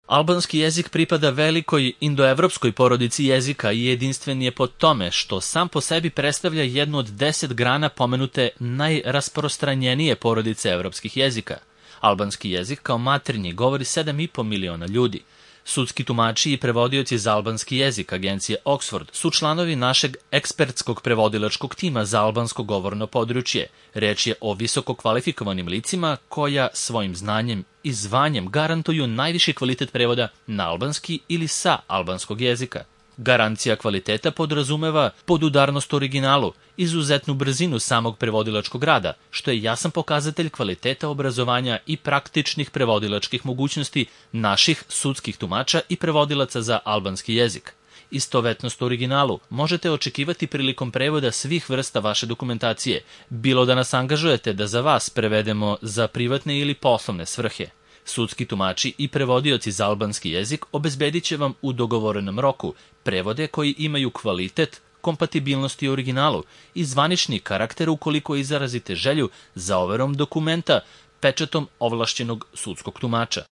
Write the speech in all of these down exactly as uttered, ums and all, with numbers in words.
Albanski jezik pripada velikoj indoevropskoj porodici jezika i jedinstven je po tome što sam po sebi predstavlja jednu od deset grana pomenute najrasprostranjenije porodice evropskih jezika. Albanski jezik kao maternji govori sedam i po miliona ljudi. Sudski tumači i prevodioci za albanski jezik agencije Oxford su članovi našeg ekspertskog prevodilačkog tima za albansko govorno područje. Reč je o visoko kvalifikovanim licima koja svojim znanjem i zvanjem garantuju najviši kvalitet prevoda na albanski ili sa albanskog jezika. Garancija kvaliteta podrazumeva podudarnost originalu, izuzetnu brzinu samog prevodilačkog rada, što je jasan pokazatelj kvaliteta obrazovanja i praktičnih prevodilačkih mogućnosti naših sudskih tumača i prevodilaca za albanski jezik. Istovetnost originalu možete očekivati prilikom prevoda svih vrsta vaše dokumentacije, bilo da nas angažujete da za vas prevedemo za privatne ili poslovne svrhe. Sudski tumači i prevodioci za albanski jezik obezbedit će vam u dogovorenom roku prevode koji imaju kvalitet, kompatibilnosti originalu i zvanični karakter ukoliko izrazite želju za overom dokumenta pečatom ovlašćenog sudskog tumača.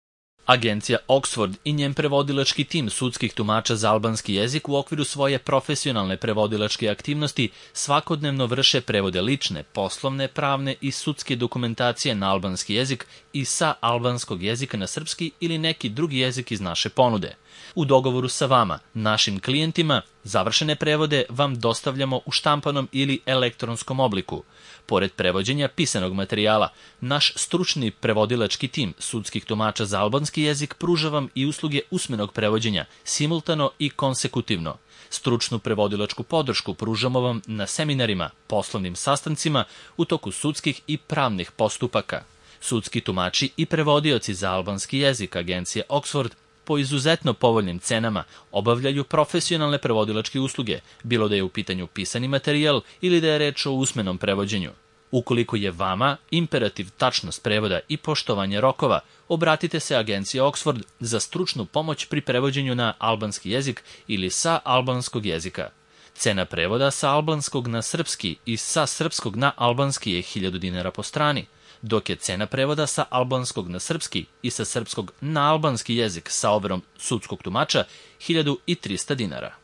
Agencija Oxford i njen prevodilački tim sudskih tumača za albanski jezik u okviru svoje profesionalne prevodilačke aktivnosti svakodnevno vrše prevode lične, poslovne, pravne i sudske dokumentacije na albanski jezik i sa albanskog jezika na srpski ili neki drugi jezik iz naše ponude. U dogovoru sa vama, našim klijentima, završene prevode vam dostavljamo u štampanom ili elektronskom obliku. Pored prevođenja pisanog materijala, naš stručni prevodilački tim sudskih tumača za albanski jezik pruža vam i usluge usmenog prevođenja, simultano i konsekutivno. Stručnu prevodilačku podršku pružamo vam na seminarima, poslovnim sastancima, u toku sudskih i pravnih postupaka. Sudski tumači i prevodioci za albanski jezik agencije Oxford po izuzetno povoljnim cenama obavljaju profesionalne prevodilačke usluge, bilo da je u pitanju pisani materijal ili da je reč o usmenom prevođenju. Ukoliko je vama imperativ tačnost prevoda i poštovanje rokova, obratite se agenciji Oxford za stručnu pomoć pri prevođenju na albanski jezik ili sa albanskog jezika. Cena prevoda sa albanskog na srpski i sa srpskog na albanski je hiljadu dinara po strani, dok je cena prevoda sa albanskog na srpski i sa srpskog na albanski jezik sa overom sudskog tumača hiljadu trista dinara.